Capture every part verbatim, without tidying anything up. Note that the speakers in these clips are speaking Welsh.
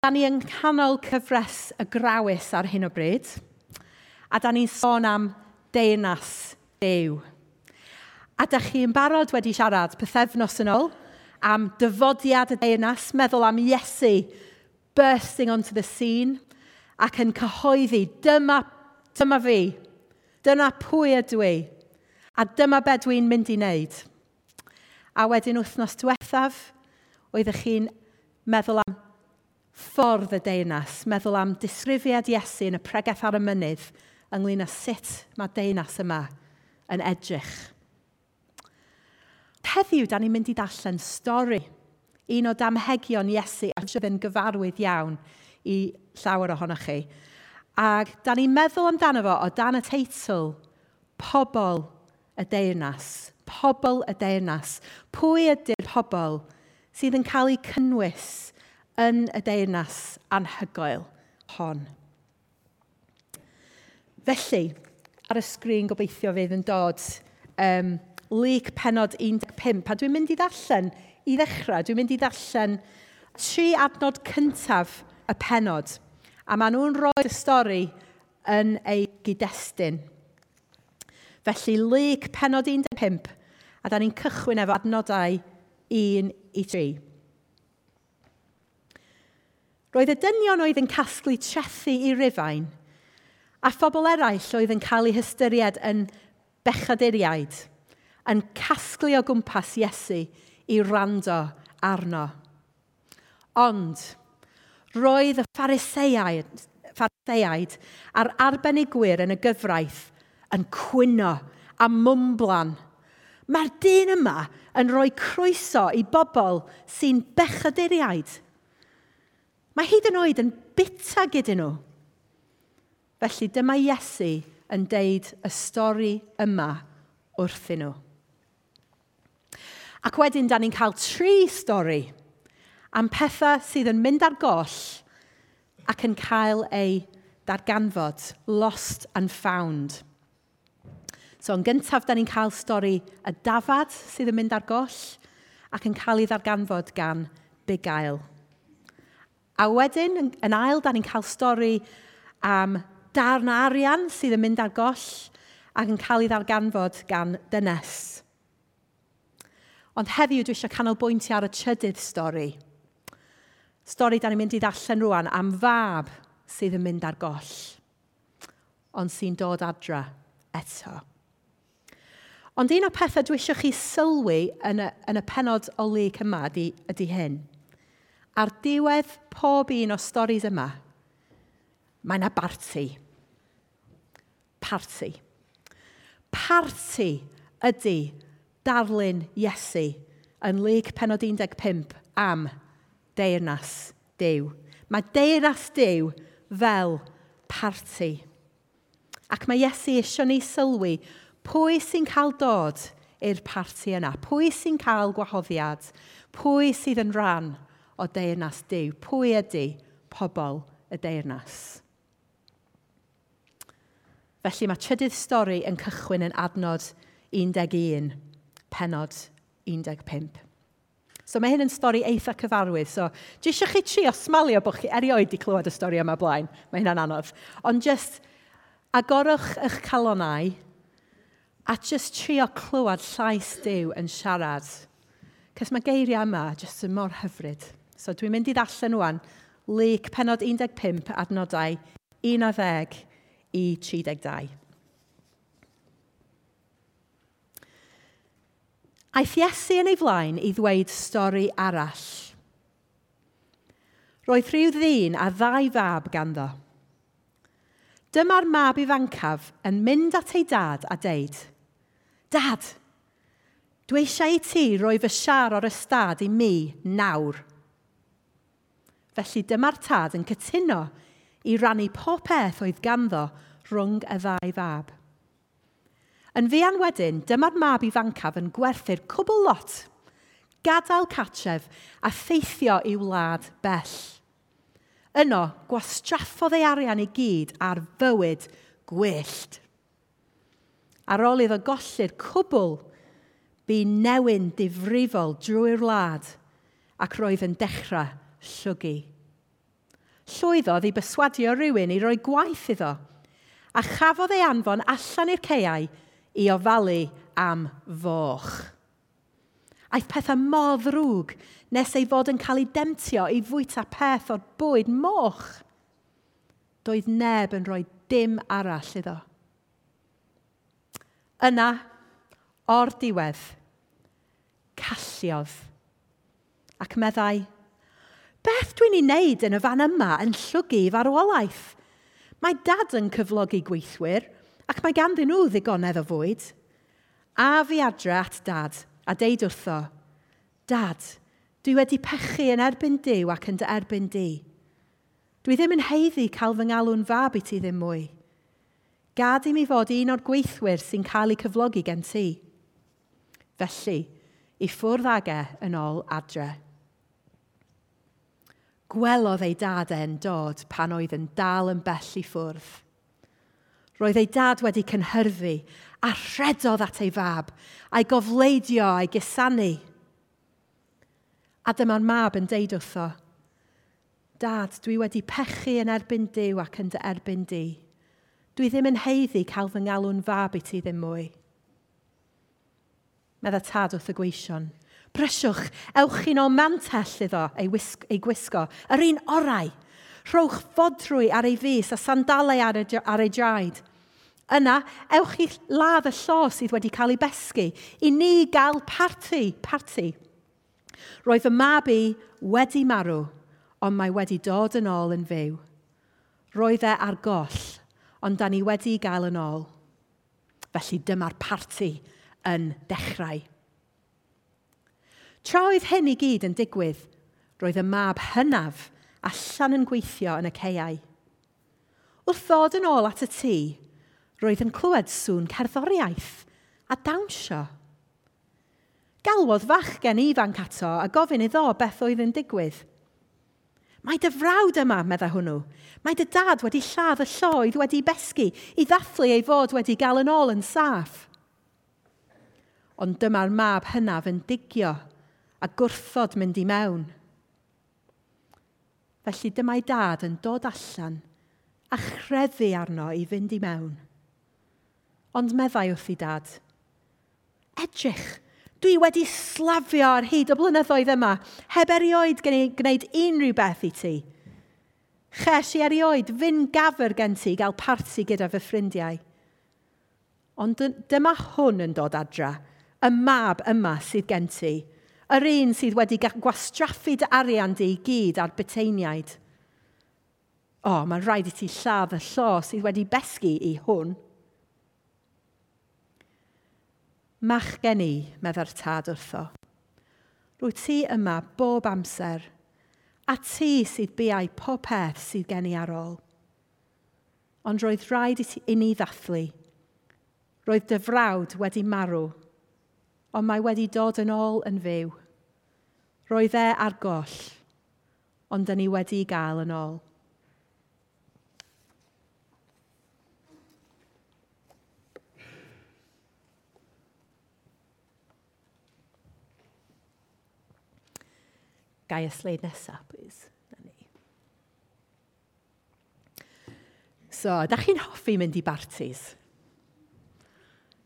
Da ni yng nghanol cyfres y Grawys ar hyn o bryd, a da ni'n sôn am deyrnas Duw. A da chi yn barod wedi siarad pythefnos yn ôl am dyfodiad y deyrnas, meddwl am Iesu bursting onto the scene ac yn cyhoeddi, dyma, dyma fi, dyna pwy ydw i, a dyma be dwi'n mynd i wneud. A wedyn wythnos diwethaf, oeddech chi'n meddwl am ffordd y deyrnas, meddwl am disgrifiad Iesu yn y pregeth ar y mynydd ynglyn â sut mae deyrnas yma yn edrych. Heddiw, da ni'n mynd i ddarllen stori, un o damhegion Iesu a sydd yn gyfarwydd iawn i llawer ohonoch chi. Ac da ni'n meddwl amdano fo o dan y teitl Pobl y Deyrnas. Pobl y Deyrnas. Pwy ydy'r pobl sydd yn cael eu cynnwys yn y deyrnas anhygoel hon? Felly, ar y sgrin gobeithio fydd yn dod um, Luc pennod un deg pump, a dwi'n mynd i ddarllen i ddechrau, dwi'n mynd i ddarllen tri adnod cyntaf y pennod, a maen nhw'n rhoi'r stori yn ei gyd-destun. Felly, Luc pennod un deg pump, a da ni'n cychwyn efo adnodau un i tri. Roedd y dynion oedd yn casglu trethu i Rufain, a phobl eraill oedd yn cael eu hystyried yn bechaduriaid, yn casglu o gwmpas Iesu i wrando arno. Ond roedd y Phariseaid, Phariseaid a'r arbenigwyr yn y gyfraith yn cwyno a mwmblan. Mae'r dyn yma yn rhoi croeso i bobl sy'n bechaduriaid. Mae hyd yn oed yn bita gyda nhw. Felly dyma Iesu yn deud y stori yma wrthyn nhw. Ac wedyn, da ni'n cael tri stori am pethau sydd yn mynd ar goll ac yn cael eu darganfod, lost and found. So, yn gyntaf, da ni'n cael stori y dafad sydd yn mynd ar goll ac yn cael ei ddarganfod gan bugail. A wedyn, yn, yn ail, da ni'n cael stori am darn arian sydd yn mynd ar goll ac yn cael ei ddarganfod gan dynes. Ond heddiw dwi eisiau canolbwyntio ar y trydydd stori. Stori da ni'n mynd i ddarllen rwan am fab sydd yn mynd ar goll, ond sy'n dod adra eto. Ond un o'r pethau dwi eisiau chi sylwi yn y, yn y pennod o Luc yma ydy, ydy hyn. Ar diwedd pob un o'r storis yma, mae yna barti. Parti. Parti ydy darlun Iesu yn Luc pennod un deg pump am deyrnas Duw. Mae deyrnas Duw fel parti. Ac mae Iesu eisiau ni sylwi pwy sy'n cael dod i'r parti yna, pwy sy'n cael gwahoddiad, pwy sydd yn rhan o deyrnas Duw, pwy ydy pobl y deyrnas. Felly mae trydydd stori yn cychwyn yn adnod un deg un, pennod un deg pump. So mae hyn yn stori eitha cyfarwydd. So, dwi eisiau chi trio smalio bod chi erioed wedi clywed y stori yma blaen. Mae hynna'n anodd. Ond just agorwch eich calonau a just trio clywed llais Duw yn siarad. Cos mae geiriau yma just yn mor hyfryd. So dwi'n mynd i ddarllen rwan Luc pennod un deg pump adnodau un ar ddeg i tri deg dau. Aeth Iesu yn ei flaen i ddweud stori arall. Roedd rhyw ddyn a ddau fab ganddo. Dyma'r mab ifancaf yn mynd at ei dad a deud, Dad, dwi eisiau i ti roi fy siar o'r ystâd i mi nawr. Felly dyma'r tad yn cytuno i rannu pob peth oedd ganddo rhwng y ddau fab. Yn fuan wedyn, dyma'r mab ifancaf yn gwerthu'r cwbl lot, gadael cartref a theithio i'w wlad bell. Yno, gwastraffodd ei arian i gyd ar fywyd gwyllt. Ar ôl iddo golli'r cwbl, bu newyn difrifol drwy'r wlad ac roedd yn dechrau llwgu. Llwyddodd i berswadio rhywun i roi gwaith iddo, a chafodd ei anfon allan i'r caeau i ofalu am foch. Aeth pethau mor ddrwg nes ei fod yn cael ei demtio i fwyta peth o'r bwyd moch. Doedd neb yn rhoi dim arall iddo. Yna, o'r diwedd, calliodd ac meddai, "Beth dwi'n ei wneud yn y fan yma yn llwgu i farwolaeth? Mae dad yn cyflogi gweithwyr ac mae ganddyn nhw ddigonedd o fwyd. A fi adre at dad a deud wrtho, Dad, dwi wedi pechu yn erbyn Duw ac yn dy erbyn di. Dwi ddim yn haeddu cael fy ngalw'n fab i ti ddim mwy. Gad i mi fod un o'r gweithwyr sy'n cael eu cyflogi gen ti." Felly, i ffwrdd ag e yn ôl adre. Gwelodd ei dad e'n dod pan oedd yn dal yn bell i ffwrdd. Roedd ei dad wedi cynhyrfu a rhedodd at ei fab, a'i gofleidio a'i gusanu. A dyma'r mab yn deud wrtho, "Dad, dwi wedi pechu yn erbyn Duw ac yn dy erbyn di. Dwi ddim yn haeddu cael fy ngalw'n fab i ti ddim mwy." Medda tad wrth y gweision, "Brysiwch, ewch chi'n ôl mantell iddo ei, wisg, ei gwisgo, yr un orau. Rhowch fodrwy ar ei fys a sandalau ar ei, ar ei draed. Yna, ewch i ladd y llo sydd wedi cael ei besgu, i ni gael parti, parti. Roedd fy mab i wedi marw, ond mae wedi dod yn ôl yn fyw. Roedd e ar goll, ond da ni wedi gael yn ôl." Felly dyma'r parti yn dechrau. Tra oedd hyn i gyd yn digwydd, roedd y mab hynaf allan yn gweithio yn y caeau. Wrth ddod yn ôl at y tŷ, roedd yn clywed sŵn cerddoriaeth a dawnsio. Galwodd fachgen ifanc ato a gofyn iddo beth oedd yn digwydd. "Mae dy frawd yma," meddai hwnnw. "Mae dy dad wedi lladd y llo oedd wedi besgu i ddathlu ei fod wedi gael yn ôl yn saff." Ond dyma'r mab hynaf yn digio a gwrthod mynd i mewn. Felly dyma'i dad yn dod allan a chreddu arno i fynd i mewn. Ond meddai wrth ei dad, "Edrych, dwi wedi slafio ar hyd y blynyddoedd yma, heb erioed gwneud unrhyw beth i ti. Ches i erioed fyn gafr gen ti gael parti gyda fy ffrindiau. Ond dyma hwn yn dod adra, y mab yma sydd gen ti, yr un sydd wedi gwastraffu dy arian di i gyd ar buteiniaid. O, mae'n rhaid i ti lladd y llo sydd wedi besgu i hwn." "Machgen i," meddai'r tad wrtho, "rwyt ti yma bob amser, a ti sydd biau pob peth sydd gen i ar ôl. Ond roedd rhaid i, ti, i ni ddathlu. Roedd dy frawd wedi marw, ond mae wedi dod yn ôl yn fyw. Roedd e ar goll, ond dyn ni wedi gael yn ôl." Gai y sleid nesaf, please. Na ni. So, da chi'n hoffi mynd i bartis?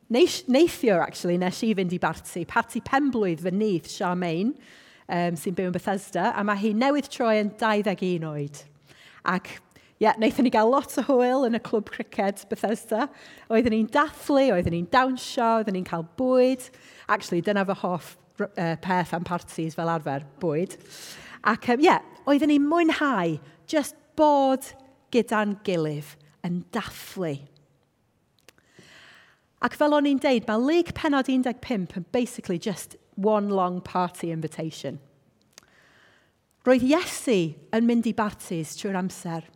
Neithiwr, actually, nes i fynd i barti. Parti penblwydd fy nith, Charmaine, um, sy'n byw yn Bethesda, a mae hi newydd troi yn dau ddeg un oed. Ac, ie, yeah, wnaethon ni gael lot o hwyl yn y clwb criced Bethesda. Oedden ni'n dathlu, oedden ni'n dawnsio, oedden ni'n cael bwyd. Actually, dyna fy hoff uh, peth am parties fel arfer, bwyd. Ac, ie, um, yeah, oedden ni'n mwynhau just bod gyda'n gilydd yn dathlu. Ac fel o'n i'n deud, mae Luc pennod un deg pump yn basically just one long party invitation. Roedd Iesu yn mynd i bartis trwy'r amser.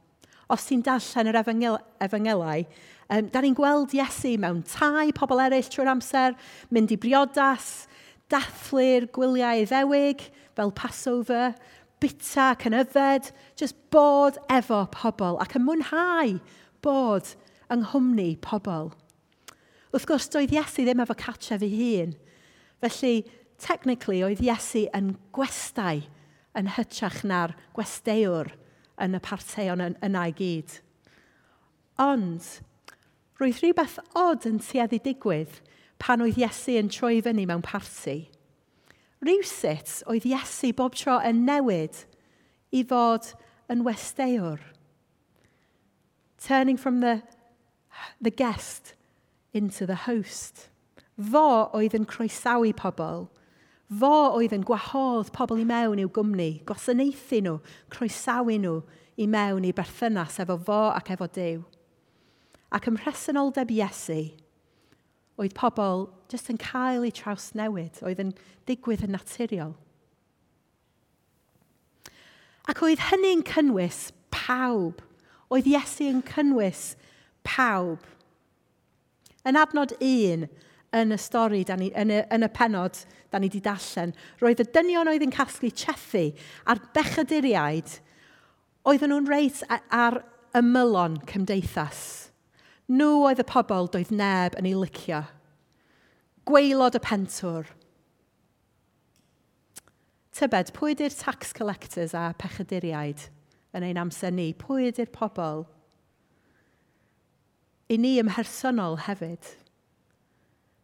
Os ti'n darllen yr efengyl, efengylau, um, da ni'n gweld Iesu mewn tai pobl eraill trwy'r amser, mynd i briodas, dathlu'r gwyliau Iddewig fel Passover, bita ac yn yfed, just bod efo pobl ac yn mwynhau bod yng nghwmni pobl. Wrth gwrs, doedd Iesu ddim efo cartref ei hun. Felly, technically, oedd Iesu yn gwestai yn hytrach na'r gwesteiwr yn y parteion yna i gyd. Ond, roedd rhywbeth od yn tueddu digwydd pan oedd Iesu yn troi fyny mewn parti. Rywsut oedd Iesu bob tro yn newid i fod yn westeiwr. Turning from the, the guest into the host. Fo oedd yn croesawu pobl. Fo oedd yn gwahodd pobl i mewn i'w gwmni, gwasanaethu nhw, croesawu nhw i mewn i berthynas efo fo ac efo Duw. Ac ym mhresenoldeb Iesu, oedd pobl jyst yn cael eu trawsnewid, oedd yn digwydd yn naturiol. Ac oedd hynny'n cynnwys pawb. Oedd Iesu yn cynnwys pawb. Yn adnod un yn y stori, da ni, yn, y, yn y pennod da ni wedi darllen, roedd y dynion oedd yn casglu trethi a'r bechaduriaid, oedden nhw'n reit ar ymylon cymdeithas. Nhw oedd y pobl doedd neb yn ei licio. Gwaelod y pentwr. Tybed, pwy ydy'r tax collectors a pechaduriaid yn ein amser ni? Pwy ydy'r pobl? I ni ymhersonol hefyd.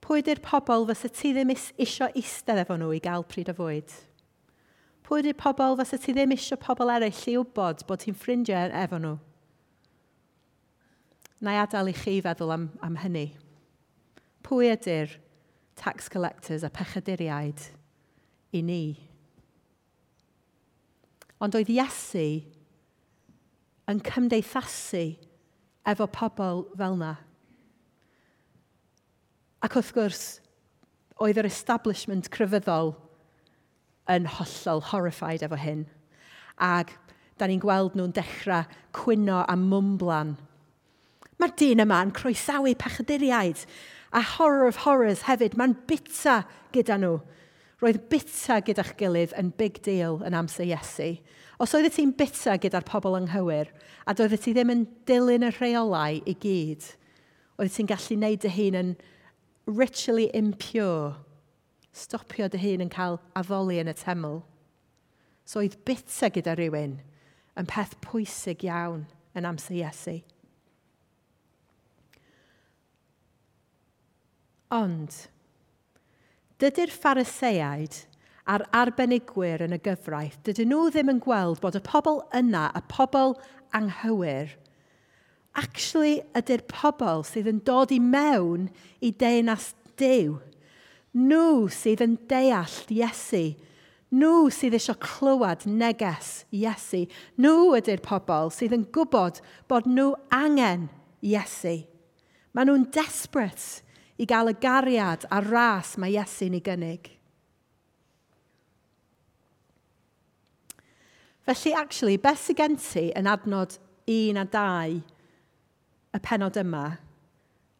Pwy ydy'r pobl fysa ti ddim isio eistedd efo nhw i gael pryd o fwyd? Pwy ydy'r pobl fysa ti ddim isio pobl eraill i wybod bod ti'n ffrindiau efo nhw? Na i adael i chi feddwl am, am hynny. Pwy ydy'r tax collectors a pechaduriaid i ni? Ond oedd Iesu yn cymdeithasu efo pobl fel yna. Ac wrth gwrs, oedd yr establishment crefyddol yn hollol horrified efo hyn. Ac da ni'n gweld nhw'n dechrau cwyno a mwmblan. Mae'r dyn yma yn croesawu pechaduriaid a horror of horrors hefyd. Mae'n bita gyda nhw. Roedd bita gyda'ch gilydd yn big deal yn amser Iesu. Os oeddet ti'n bita gyda'r pobl anghywir a doeddet ti ddim yn dilyn y rheolau i gyd, oeddet ti'n gallu gwneud dy hun yn ritually impure. Stopio dy hun yn cael addoli yn y teml. So oedd bita gyda rhywun yn peth pwysig iawn yn amser Iesu. Ond, dydy'r Phariseaid a'r arbenigwyr yn y gyfraith, dydyn nhw ddim yn gweld bod y pobl yna, y pobl anghywir, actually ydy'r pobl sydd yn dod i mewn i deyrnas Duw. Nhw sydd yn deall Iesu. Nhw sydd eisiau clywed neges Iesu. Nhw ydy'r pobl sydd yn gwybod bod nhw angen Iesu. Maen nhw'n desperate i gael y gariad a'r ras mae Iesu'n ei gynnig. Felly, actually, beth sydd gen ti yn adnod un a dau y pennod yma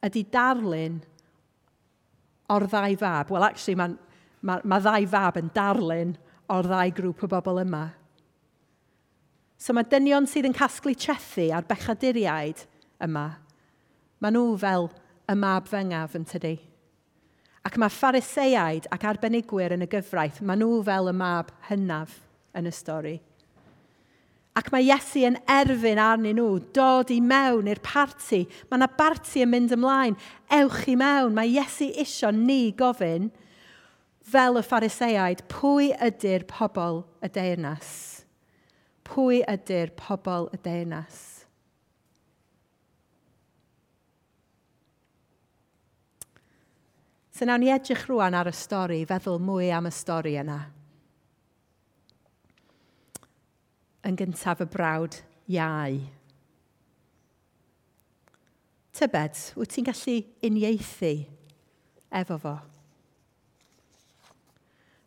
ydy darlun o'r ddau fab. Wel, actually, mae ma, ma ddau fab yn darlun o'r ddau grŵp o bobl yma. So mae dynion sydd yn casglu trethi a'r bechaduriaid yma, maen nhw fel y mab fengaf yn tydi. Ac mae Phariseaid ac arbenigwyr yn y gyfraith, maen nhw fel y mab hynaf yn y stori. Ac mae Iesu yn erfyn arnyn nhw, dod i mewn i'r parti. Mae yna barti yn mynd ymlaen. Ewch i mewn. Mae Iesu isio ni gofyn, fel y Phariseaid, pwy ydy'r pobl y deyrnas? Pwy ydy'r pobl y deyrnas? So nawn ni edrych rwan ar y stori, feddwl mwy am y stori yna. Yn gyntaf y brawd iau. Tybed, wyt ti'n gallu uniaethu efo fo?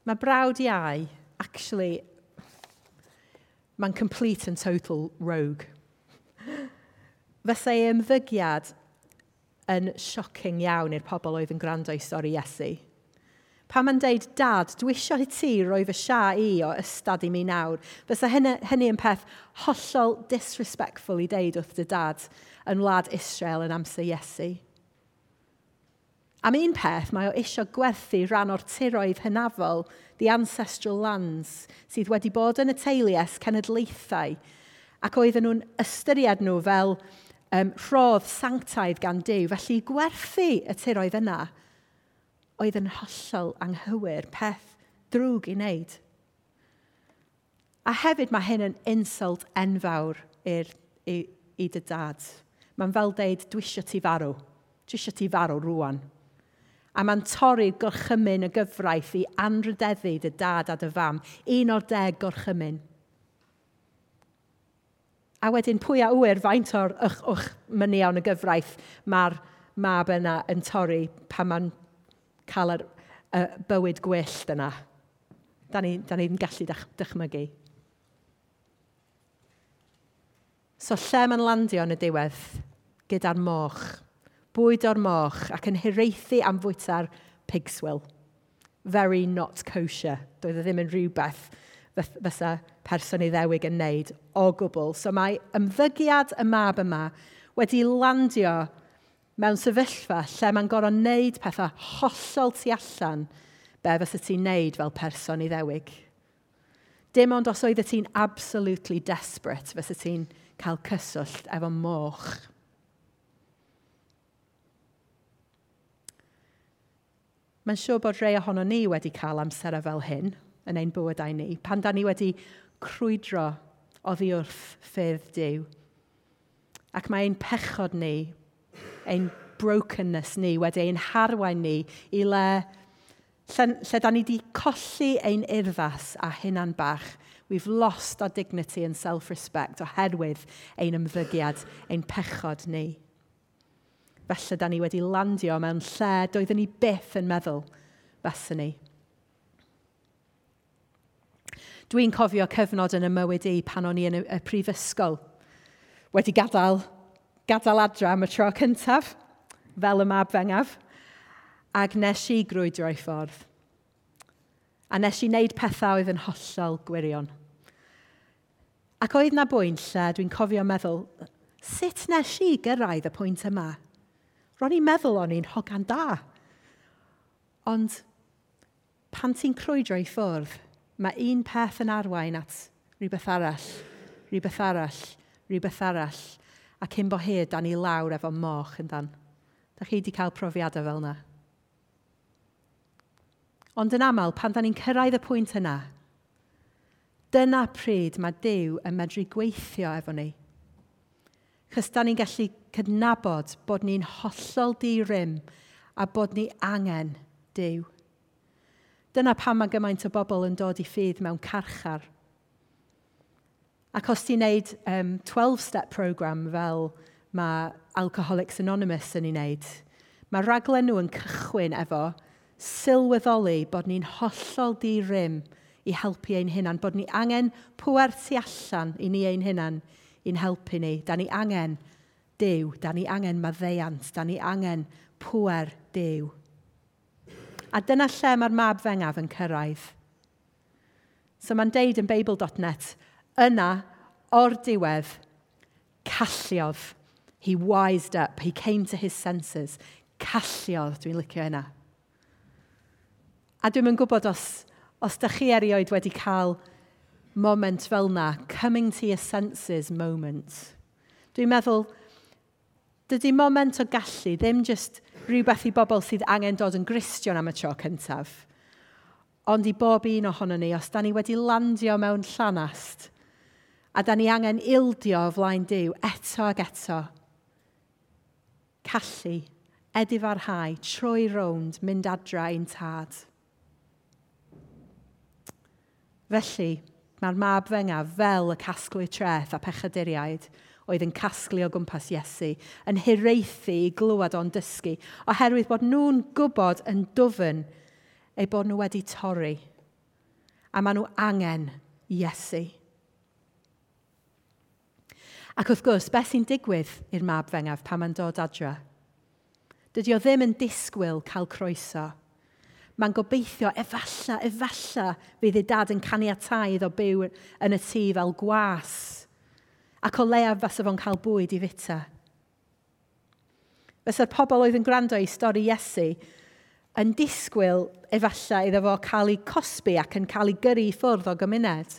Mae brawd iau, actually, mae'n complete and total rogue. Fysa ei ymddygiad yn shocking iawn i'r pobl oedd yn gwrando i stori Iesu. Pan mae'n deud, Dad, dwi eisiau i ti roi fy sia i o ystad i mi nawr. Fysa hynny, hynny yn peth hollol disrespectful i deud wrth dy dad yn wlad Israel yn amser Iesu. Am un peth, mae o eisiau gwerthu rhan o'r tiroedd hynafol, the ancestral lands, sydd wedi bod yn y teulu ers cenedlaethau. Ac oedden nhw'n ystyried nhw fel um, rhodd sanctaidd gan Duw. Felly gwerthu y tiroedd yna oedd yn hollol anghywir, peth drwg i wneud. A hefyd mae hyn yn insult enfawr i'r, i, i dy dad. Mae'n fel deud, "Dwi isio ti farw. Dwi isio ti farw rwan." A mae'n torri gorchymyn y gyfraith i anrhydeddu dy dad a dy fam. Un o'r deg gorchymyn. A wedyn pwy a ŵyr faint o'r ych, ych mynion y gyfraith mae'r mab yna yn torri pan mae'n cael yr, y bywyd gwyllt yna. Da ni'n ni, ni gallu dychmygu. So lle mae'n landio yn y diwedd? Gyda'r moch. Bwyd o'r moch ac yn hiraethu am fwyta'r pig swill. Very not kosher. Doedd e ddim yn rhywbeth fysa person Iddewig yn neud o gwbl. So mae ymddygiad y mab yma wedi landio mewn sefyllfa lle mae'n gorfod wneud pethau hollol tu allan be fysa ti'n neud fel person Iddewig. Dim ond os oeddet ti'n absolutely desperate fysa ti'n cael cyswllt efo moch. Mae'n siŵr bod rhai ohono ni wedi cael amserau fel hyn yn ein bywydau ni, pan da ni wedi crwydro oddi wrth ffyrdd Duw. Ac mae ein pechod ni, ein brokenness ni, wedi ein harwain ni i le, lle, lle da ni wedi colli ein urddas a hunan bach. We've lost our dignity and self-respect oherwydd ein ymddygiad, ein pechod ni. Felly da ni wedi landio mewn lle doeddwn ni byth yn meddwl faswn ni. Dwi'n cofio cyfnod yn y mywyd i pan o'n i yn y, y prifysgol. Wedi gadael, gadael adra am y tro cyntaf, fel y mab fengaf, ac nes i grwydro i ffordd. A nes i wneud pethau oedd yn hollol gwirion. Ac oedd na bwynt lle dwi'n cofio meddwl, sut nes i gyrraedd y pwynt yma? Ro'n i'n meddwl o'n i'n hogan da. Ond pan ti'n crwydro i ffwrdd, mae un peth yn arwain at rhywbeth arall, rhywbeth arall, rhywbeth arall, a cyn bo hir, da ni lawr efo moch yn dan. Da chi wedi cael profiadau fel yna? Ond yn aml, pan da ni'n cyrraedd y pwynt yna, dyna pryd mae Duw yn medru gweithio efo ni. Chos da ni'n gallu cydnabod bod ni'n hollol di-rym a bod ni angen Duw. Dyna pam mae gymaint o bobl yn dod i ffydd mewn carchar. Ac os ti'n neud um, twelve-step program fel mae Alcoholics Anonymous yn ei wneud, mae raglen nhw yn cychwyn efo sylweddoli bod ni'n hollol di-rym i helpu ein hunan, bod ni angen pŵer tu allan i ni ein hunan i'n helpu ni. Da ni angen Duw, da ni angen maddeuant, da ni angen pŵer Duw. A dyna lle mae'r mab fengaf yn cyrraedd. So mae'n deud yn Beibl dot net, yna, o'r diwedd, calliodd. He wised up, he came to his senses. Calliodd, dwi'n licio hynna. A dwi'm yn gwybod os, os dych chi erioed wedi cael moment fel na, coming to your senses moment. Dwi'n meddwl, dydy moment o gallu ddim just rhywbeth i bobl sydd angen dod yn Gristion am y tro cyntaf, ond i bob un ohono ni, os da ni wedi landio mewn llanast, a da ni angen ildio o flaen Duw eto ag eto, callu, edifarhau, troi rownd, mynd adra i'n tad. Felly, mae'r mab fengaf fel y casglu treth a pechaduriaid oedd yn casglu o gwmpas Iesu, yn hiraethu i glywed o'n dysgu, oherwydd bod nhw'n gwybod yn dwfn eu bod nhw wedi torri, a maen nhw angen Iesu. Ac wrth gwrs, beth sy'n digwydd i'r mab fengaf pan mae'n dod adra? Dydy o ddim yn disgwyl cael croeso. Mae'n gobeithio efalla, efalla fydd ei dad yn caniatáu iddo byw yn y tŷ fel gwas. Ac o leiaf fasa fo'n cael bwyd i fita. Fysa'r pobl oedd yn gwrando i stori Iesu yn disgwyl efalla iddo fo cael ei cosbi ac yn cael ei gyrru i ffwrdd o gymuned.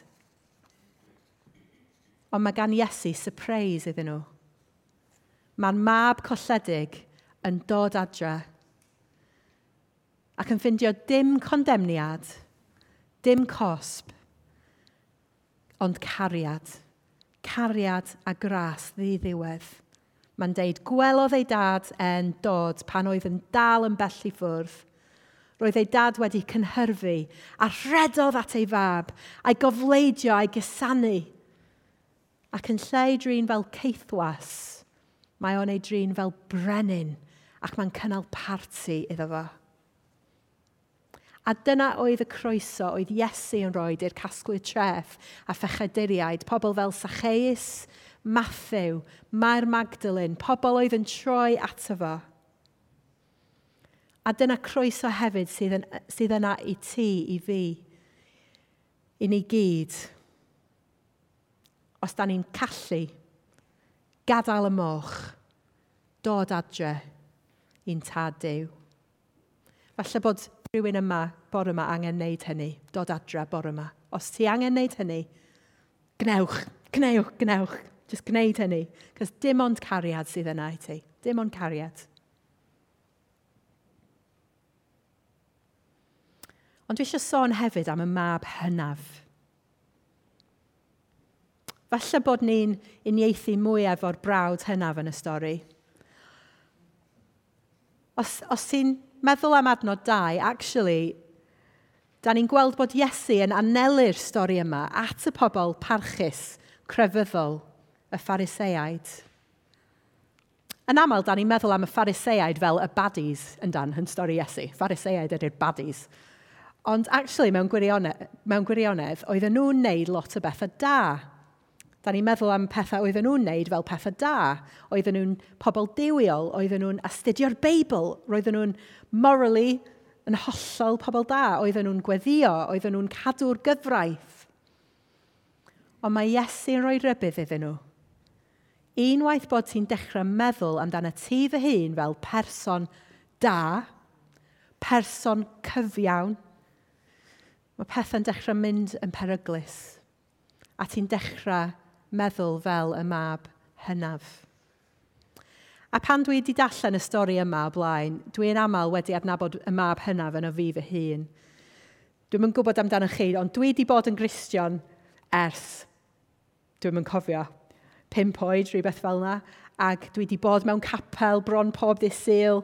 Ond mae gan Iesu surprise iddyn nhw. Mae'r mab colledig yn dod adre ac yn ffindio dim condemniad, dim cosb, ond cariad. Cariad a gras ddiddiwedd. Mae'n deud, gwelodd ei dad e'n dod pan oedd yn dal yn bell i ffwrdd. Roedd ei dad wedi cynhyrfu a rhedodd at ei fab, a'i gofleidio a'i gusanu. Ac yn lle ei drin fel caethwas, mae o'n ei drin fel brenin ac mae'n cynnal parti iddo fo. A dyna oedd y croeso oedd Iesu yn rhoi i'r casglwyr treth a phechaduriaid, pobl fel Zacchaeus, Matthew, Mair Magdalene, pobl oedd yn troi ato fo. A dyna croeso hefyd sydd, yn, sydd yna i ti, i fi, i ni gyd. Os da ni'n callu, gadael y moch, dod adre i'n tad Duw. Falle bod rhywun yma, bore yma, angen wneud hynny, dod adre bore yma. Os ti angen wneud hynny, gnewch, gnewch, gnewch. Just gwneud hynny. Cos dim ond cariad sydd yna i ti. Dim ond cariad. Ond dwi eisiau sôn hefyd am y mab hynaf. Falle bod ni'n uniaethu mwy efo'r brawd hynaf yn y stori. Os, os ti'n meddwl am adnod dau, actually, da ni'n gweld bod Iesu yn anelu'r stori yma at y pobl parchus, crefyddol, y Phariseaid. Yn aml, da ni'n meddwl am y Phariseaid fel y baddies yn dan yn stori Iesu. Phariseaid ydy'r baddies. Ond actually, mewn gwirionedd, mewn gwirionedd, oedden nhw'n neud lot o bethau da. Da ni'n meddwl am pethau oedden nhw'n neud fel pethau da. Oedden nhw'n pobl duwiol, oedden nhw'n astudio'r Beibl, roedden nhw'n morally yn hollol pobl da, oedden nhw'n gweddio, oedden nhw'n cadw'r gyfraith. Ond mae Iesu'n rhoi rybudd iddyn nhw. Unwaith bod ti'n dechrau meddwl amdano ti fy hun fel person da, person cyfiawn, mae pethau'n dechrau mynd yn peryglus. A ti'n dechrau meddwl fel y mab hynaf. A pan dwi wedi darllen y stori yma o blaen, dwi'n aml wedi adnabod y mab hynaf yn o fi fy hun. Dwi'm yn gwybod amdano chi, ond dwi wedi bod yn Gristion ers, dwi'm yn cofio, pump oed, rhywbeth fel yna, ac dwi wedi bod mewn capel bron pob dydd Sul,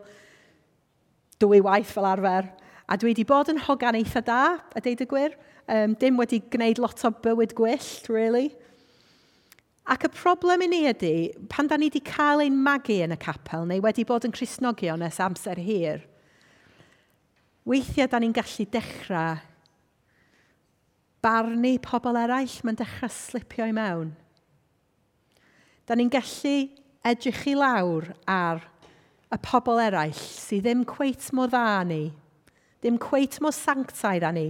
dwy waith fel arfer, a dwi wedi bod yn hogan eitha da, a deud y gwir. Um, dim wedi gwneud lot o bywyd gwyllt, really. Ac y problem i ni ydy, pan da ni wedi cael ein magu yn y capel, neu wedi bod yn Cristnogion ers amser hir, weithiau da ni'n gallu dechrau barnu pobl eraill, mae'n dechrau slipio i mewn. Da ni'n gallu edrych i lawr ar y pobl eraill sydd ddim cweit mor dda ni, ddim cweit mor sanctaidd â ni,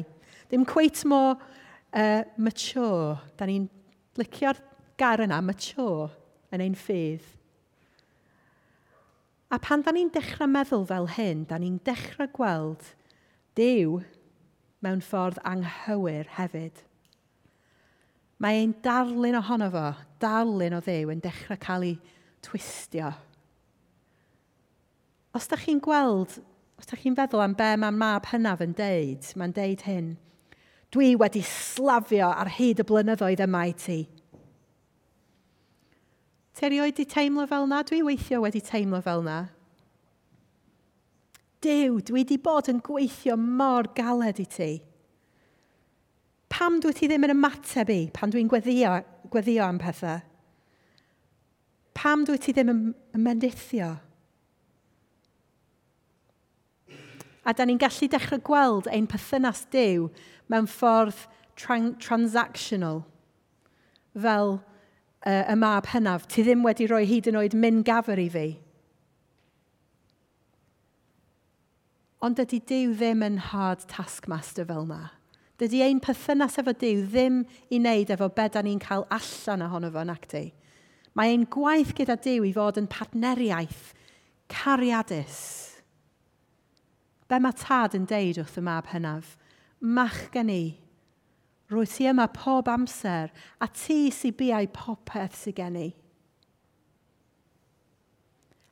ddim cweit mor uh, mature. Da ni'n licio'r gair yna, mature, yn ein ffydd. A pan da ni'n dechrau meddwl fel hyn, da ni'n dechrau gweld Duw mewn ffordd anghywir hefyd. Mae ein darlun ohono fo, darlun o Dduw, yn dechrau cael ei twistio. Os da chi'n gweld, os da chi'n feddwl am be mae'r mab hynaf yn deud, mae'n deud hyn, dwi wedi slafio ar hyd y blynyddoedd yma i ti. Ti erioed wedi teimlo fel na? Dwi weithio wedi teimlo fel na. Duw, dwi wedi bod yn gweithio mor galed i ti. Pam dwi ti ddim yn ymateb i pan dwi'n gweddio, gweddio am pethau? Pam dwi ti ddim yn, yn mendithio? A da ni'n gallu dechrau gweld ein perthynas Duw mewn ffordd tran- transactional, fel uh, y mab hynaf, ti ddim wedi rhoi hyd yn oed min gafr i fi. Ond dydy Duw ddim yn hard taskmaster fel na. Dydy ein perthynas efo Duw ddim i wneud efo be da ni'n cael allan ohono fo, nac di. Mae ein gwaith gyda Duw i fod yn partneriaeth cariadus. Be mae tad yn deud wrth y mab hynaf? Machgen i, Rwyt ti yma pob amser, a ti sy biau popeth sydd gen i.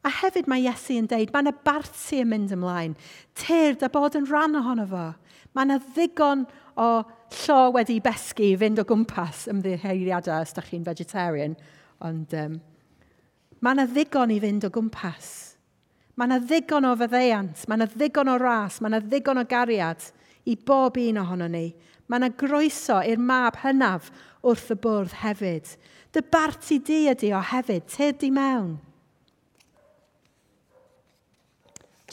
A hefyd mae Iesu yn deud, mae yna barti yn mynd ymlaen. Tyrd a bod yn rhan ohono fo. Mae yna ddigon o llo wedi besgu i fynd o gwmpas, ymddiheuriadau os da chi'n vegetarian. Ond um, mae yna ddigon i fynd o gwmpas. Mae yna ddigon o faddeuant, mae yna ddigon o ras, mae yna ddigon o gariad i bob un ohono ni. Mae yna groeso i'r mab hynaf wrth y bwrdd hefyd. Dy barti di ydi o hefyd, tyrd di mewn.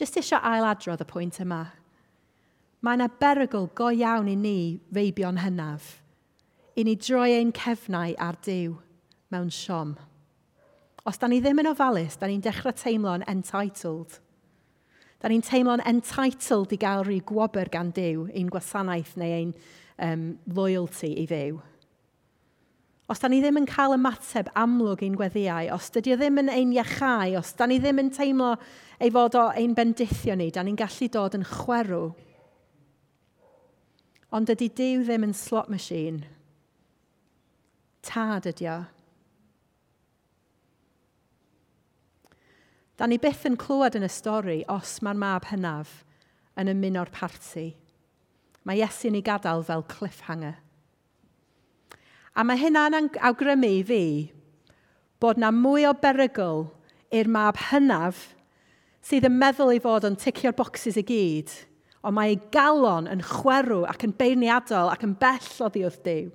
Jyst eisiau ailadrodd y pwynt yma. Mae yna berygl go iawn i ni feibion hynaf, i ni droi ein cefnau ar Duw mewn siom. Os da ni ddim yn ofalus, da ni'n dechrau teimlo'n entitled. Da ni'n teimlo'n entitled i gael rhyw gwobr gan Duw, ein gwasanaeth neu ein um, loyalty i Dduw. Os da ni ddim yn cael ymateb amlwg i'n gweddïau, os dydy o ddim yn ein iachau, os da ni ddim yn teimlo ei fod o ein bendithio ni, da ni'n gallu dod yn chwerw. Ond dydy Duw ddim yn slot machine. Tad ydy o. Da ni byth yn clywed yn y stori os mae'r mab hynaf yn ymuno'r parti. Mae Iesu'n ei gadael fel cliffhanger. A mae hynna'n awgrymu i fi bod na mwy o berygl i'r mab hynaf sydd yn meddwl ei fod yn ticio'r bocsys i gyd, ond mae ei galon yn chwerw ac yn beirniadol ac yn bell oddi wrth Duw.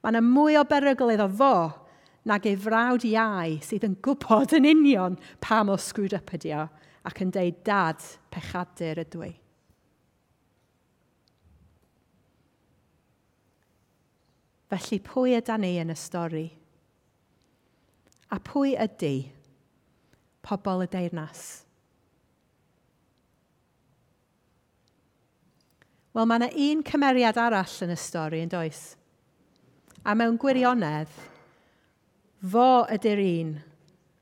Mae yna mwy o berygl iddo fo nag ei frawd iau sydd yn gwybod yn union pa mor screwed up ydi o ac yn deud, Dad, pechadur ydw i. Felly pwy yda ni yn y stori? A pwy ydy pobl y deyrnas? Wel, mae yna un cymeriad arall yn y stori, yn does? A mewn gwirionedd, fo ydy'r un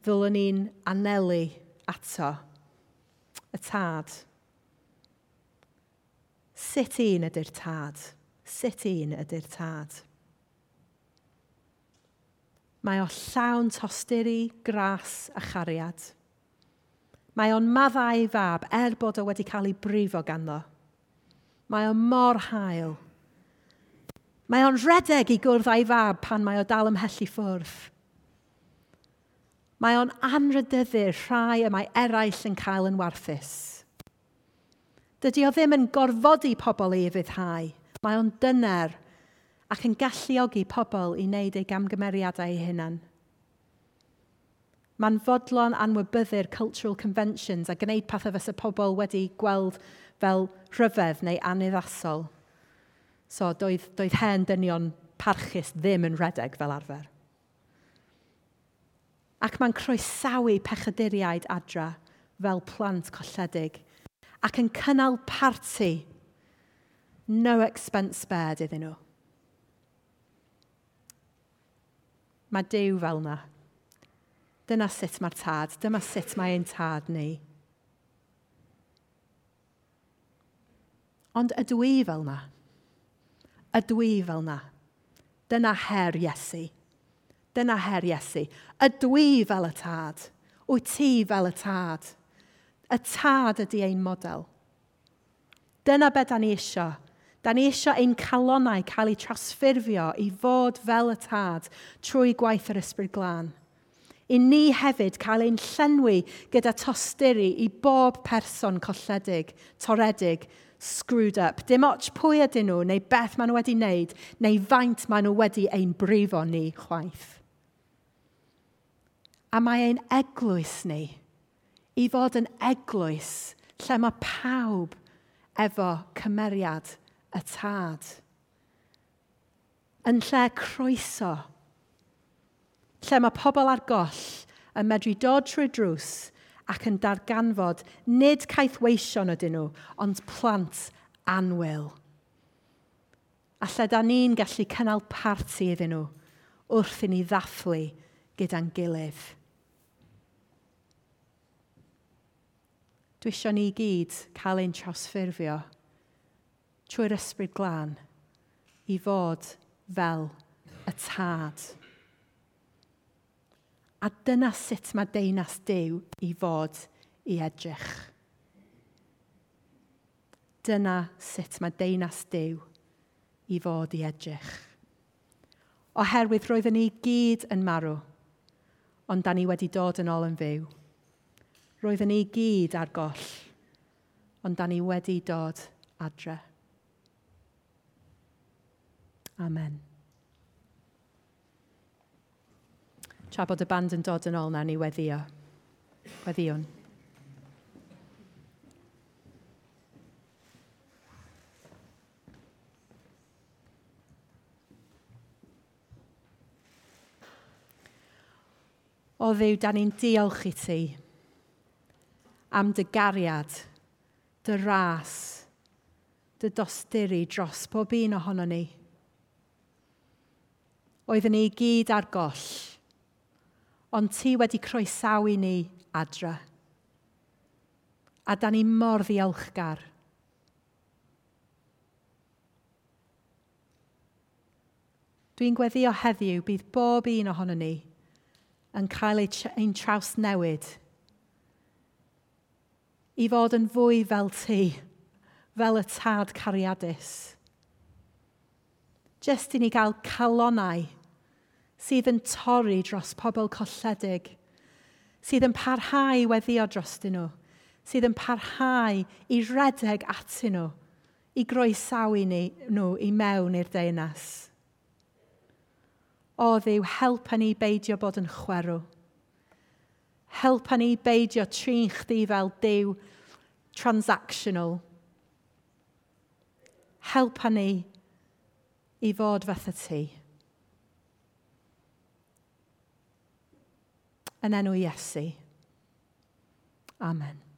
ddylwn ni'n anelu ato, y tad. Sut un ydy'r tad? Sut un ydy'r tad? Mae o llawn tosturi, gras a chariad. Mae o'n maddau ei fab er bod o wedi cael ei brifo ganddo. Mae o mor hael. Mae o'n rhedeg i gwrdd â'i fab pan mae o dal ymhell i ffwrdd. Mae o'n anrhydeddu'r rhai y mae eraill yn cael yn warthus. Dydy o ddim yn gorfodi pobl i ufuddhau. Mae o'n dyner ac yn galluogi pobl i wneud eu gamgymeriadau eu hunain. Mae'n fodlon anwybyddu'r cultural conventions a gwneud pethau fysa pobl wedi gweld fel rhyfedd neu anuddasol. So doedd, doedd hen dynion parchus ddim yn rhedeg fel arfer. Ac mae'n croesawu pechaduriaid adra fel plant colledig ac yn cynnal parti, no expense spared iddyn nhw. Mae Duw fel yna. Dyna sut mae'r tad, dyma sut mae ein tad ni. Ond ydw i fel yna? Ydw i fel yna? Dyna her Iesu. Dyna her Iesu. Ydw i fel y tad? Wyt ti fel y tad? Y tad ydy ein model. Dyna be da ni isio. Da ni isio ein calonnau cael eu trosffurfio i fod fel y tad trwy gwaith yr Ysbryd Glân. I ni hefyd cael ein llenwi gyda tosturi i bob person colledig, toredig, screwed up. Dim ots pwy ydyn nhw, neu beth maen nhw wedi wneud, neu faint maen nhw wedi ein brifo ni chwaith. A mae ein eglwys ni i fod yn eglwys lle mae pawb efo cymeriad y tad. Yn lle croeso, lle mae pobl ar goll yn medru dod trwy drws ac yn darganfod nid caethweision ydyn nhw, ond plant annwyl. A lle da ni'n gallu cynnal parti iddyn nhw wrth i ni ddathlu gyda'n gilydd. Dwi isio ni gyd cael ein trawsffurfio trwy'r Ysbryd Glân i fod fel y tad. A dyna sut mae deyrnas Duw i fod i edrych. Dyna sut mae deyrnas Duw i fod i edrych. Oherwydd roedden ni gyd yn marw, ond da ni wedi dod yn ôl yn fyw. Roedden ni gyd ar goll, ond da ni wedi dod adre. Amen. Tra bod y band yn dod yn ôl nawr, ni weddio. Weddiwn. O Dduw, da ni'n diolch i ti am dy gariad, dy ras, dy dosturi dros pob un ohono ni. Oedden ni gyd ar goll, ond ti wedi croesawu ni adre. A da ni mor ddiolchgar. Dwi'n gweddio heddiw bydd bob un ohono ni yn cael ein trawsnewid i fod yn fwy fel ti, fel y tad cariadus. Jyst i ni gael calonnau sydd yn torri dros pobl colledig, sydd yn parhau i weddio drostyn nhw, sydd yn parhau i redeg atyn nhw, i groesawu ni, nhw i mewn i'r deyrnas. O Dduw, helpa ni beidio bod yn chwerw. Helpa ni beidio trin chdi fel Duw transactional. Helpa ni i fod fatha ti. Yn enw Iesu. Amen.